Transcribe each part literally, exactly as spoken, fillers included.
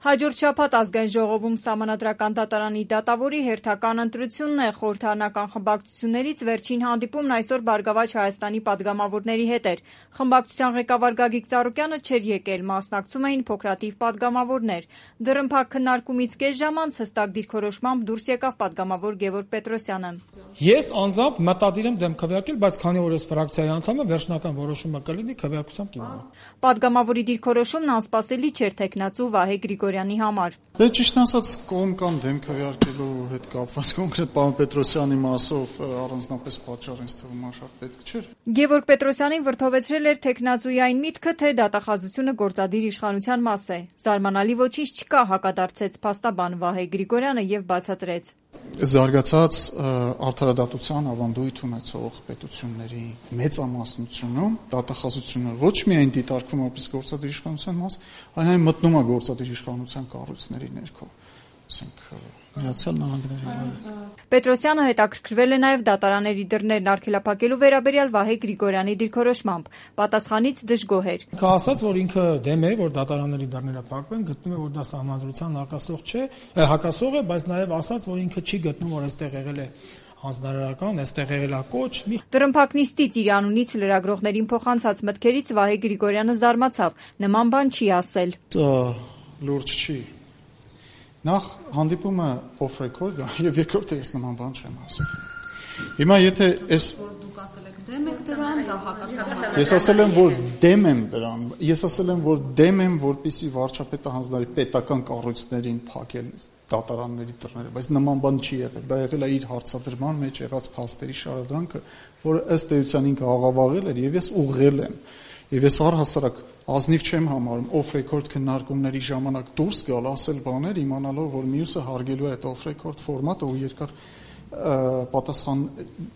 Հաջորդ շաբաթ ազգային ժողովում Սահմանադրական դատարանի դատավորի հերթական ընտրությունն է։ Խորհրդարանական խմբակցություններից վերջին հանդիպումն այսօր Բարգավաճ Հայաստանի պատգամավորների հետ էր։ Խմբակցության ղեկավար Գագիկ Ծառուկյանը չէր եկել, մասնակցում էին փոքրաթիվ պատգամավորներ։ Դռնփակ քննարկումից կես ժամ անց հստակ դիրքորոշմամբ դուրս եկավ պատգամավոր Գևորգ Պետրոսյանը։ Ես անձամբ մտադիր եմ դեմ քվեարկել, բայց քանի որ ես ֆրակցիայի անդամ եմ, վերջնական որոշումը կլինի քվեարկությամբ կիմանա։ Պատգամավորի դիրքորոշումն անսպասելի չէր տեխնացու Վահե Գրիգորյանի համար։ Դե ճիշտ ասած կողմ կամ դեմ քվեարկելու հետ կապված կոնկրետ պարոն Պետրոսյանի մասով առանձնապես պատճառ ինձ թվում է շատ պետք չէր։ Գևորգ Պետրոսյանին վրդովեցրել էր տեխնացուի այն միտքը, թե դատախազությունը գործադիր իշխանության մաս է։ Զարմանալի ոչինչ չկա, հակադարձեց փաստաբան Վահե Գրիգորյանը եւ բացատրեց։ Զարգացած արդարադատության ավանդույթ ունեցող պետությունների մեծամասնությունում դատախազությունը ոչ միայն դիտարկվում որպես գործադիր իշխանության մաս, այլ այն մտնում է գործադիր իշխանության կառույցների ներքո, ասենք Միացյալ Նահանգների վրա։ Պետրոսյանը հետաքրքրվել է նաև դատարանների դռներն արգելափակելու վերաբերյալ Վահե Գրիգորյանի դիրքորոշմամբ։ Պատասխանից դժգոհ էր։ Ինքը ասաց, որ ինքը դեմ է, որ դատարանների դռները փակվեն, գտնում է, որ դա սահմանադրության հակասող չէ, հակասող է, բայց նաև ասաց, որ ինքը չի գտնում, որ այստեղ եղել է հանձնարարական, այստեղ եղել է կոչ։ Դռնփակնիստից իր անունից լրագրողներին փոխանցած մտքերից Վահե Գրիգորյանը զարմացավ։ Նման բան չի ասել։ Լուրջ չի։ Նախ հանդիպումը off record է, եւ երկրորդը ես նման բան չեմ ասել։ Հիմա եթե այս դուք ասել եք դեմ եք դրան, դա հակասական։ Ես ասել եմ, որ դեմ եմ դրան։ Ես ասել եմ, որ դեմ եմ, որպեսզի վարչապետը հանձնարարի պետական կառույցներին փակել դատարանների դռները, բայց նման բան չի եղել։ Դա եղել է իր հարցադրման մեջ եղած փաստերի շարադրանքը, որը ըստ էության ինքը աղավաղել էր եւ ես ուղղել եմ։ Եվ ես առհասարակ ազնիվ չեմ համարում off record քննարկումների ժամանակ դուրս գալ, ասել բաներ, իմանալով, որ մյուսը հարգելու է այդ off record ֆորմատը ու երկար պատասխան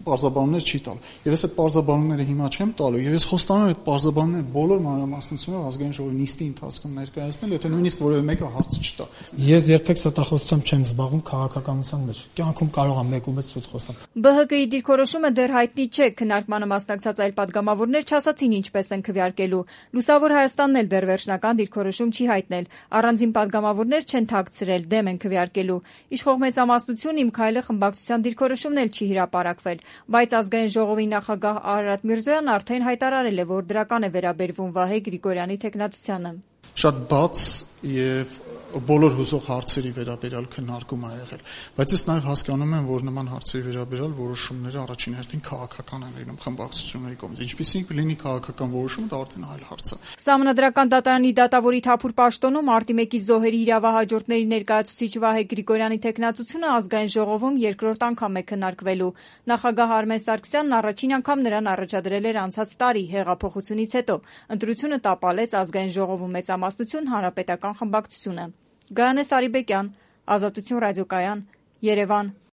պարզաբանումներ չի տալ։ Եվ ես այդ պարզաբանումները հիմա չեմ տալու, եւ ես խոստանում եմ այդ պարզաբանումները բոլոր մանրամասնություններով ազգային ժողովի նիստի ընթացքում ներկայացնել, եթե նույնիսկ որևէ մեկը հարց չտա։ Ես երբեք ստախոսությամբ չեմ զբաղվում քաղաքականության մեջ։ Կյանքում կարող եմ մեկ ու մեծ սուտ խոսալ։ Բ Հ Գ-ի դիրքորոշումը դեռ հայտնի չէ, քննարկմանը մասնակցած այլ պատգամավորներ չասացին ինչպես են քվեարկելու։ Լուսավոր Հայաստանն էլ դեռ վերջնական դիրքորոշում չի հայտնել։ Առանձին պատգամավորներ չեն թաքցրել, դեմ են քվեարկելու։ Իշխող մեծամասնություն Իմ քայլը խմբակցության դիրքորոշումն էլ չի հրապարակվել, բայց ազգային ժողովի նախագահ Արարատ Միրզոյանն արդեն հայտարարել է, որ դրական է վերաբերվում Վահե Գրիգորյանի տեխնացությանը։ Շատ բաց եւ բոլոր հուզող հարցերի վերաբերյալ քննարկում է եղել, բայց ես նաև հասկանում եմ, որ նման հարցերի վերաբերյալ որոշումները առաջին հերթին քաղաքական են լինում խմբակցությունների կողմից։ Ինչպիսին կլինի քաղաքական որոշումը, դա արդեն այլ հարց է։ Սահմանադրական դատարանի դատավորի Թափուր պաշտոնում Արտի մեկի զոհերի իրավահաջորդների ներկայացուցիչ Վահե Գրիգորյանի տեխնացությունը ազգային ժողովում երկրորդ անգամ է քննարկվելու։ Նախագահ Արմեն Սարգսյանն առաջին անգամ նրան առաջադրել էր անցած տարի հեղափոխությունից հետո։ Ընտրությունը տապալեց ազգային ժողովում մեծամասնություն Հանրապետական խմբակցությունը։ Գայանե Սարիբեկյան, Ազատություն ռադիոկայան, Երևան։